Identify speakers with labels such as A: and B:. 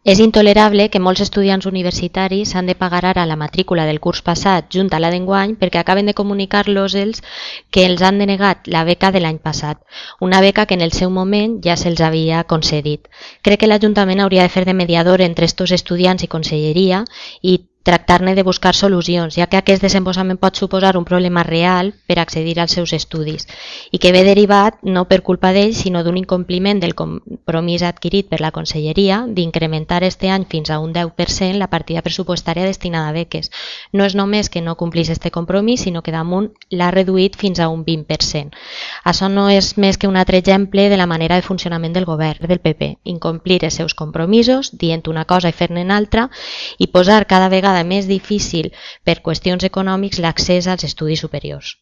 A: És intolerable que molts estudiants universitaris han de pagar ara la matrícula del curs passat junt a la d'enguany perquè acaben de comunicar-los ells que els han denegat la beca de l'any passat, una beca que en el seu moment ja se'ls havia concedit. Crec que l'Ajuntament hauria de fer de mediador entre estos estudiants i Conselleria i tractar-ne de buscar solucions, ja que aquest desembossament pot suposar un problema real per accedir als seus estudis i que ve derivat no per culpa d'ells, sinó d'un incompliment del compromís adquirit per la Conselleria d'incrementar este any fins a un 10% la partida pressupostària destinada a beques. No és només que no complís este compromís, sinó que damunt l'ha reduït fins a un 20%. Això no és més que un altre exemple de la manera de funcionament del govern del PP, incomplir els seus compromisos, dient una cosa i fer-ne una altra, i posar cada vegada més difícil per qüestions econòmics l'accés als estudis superiors.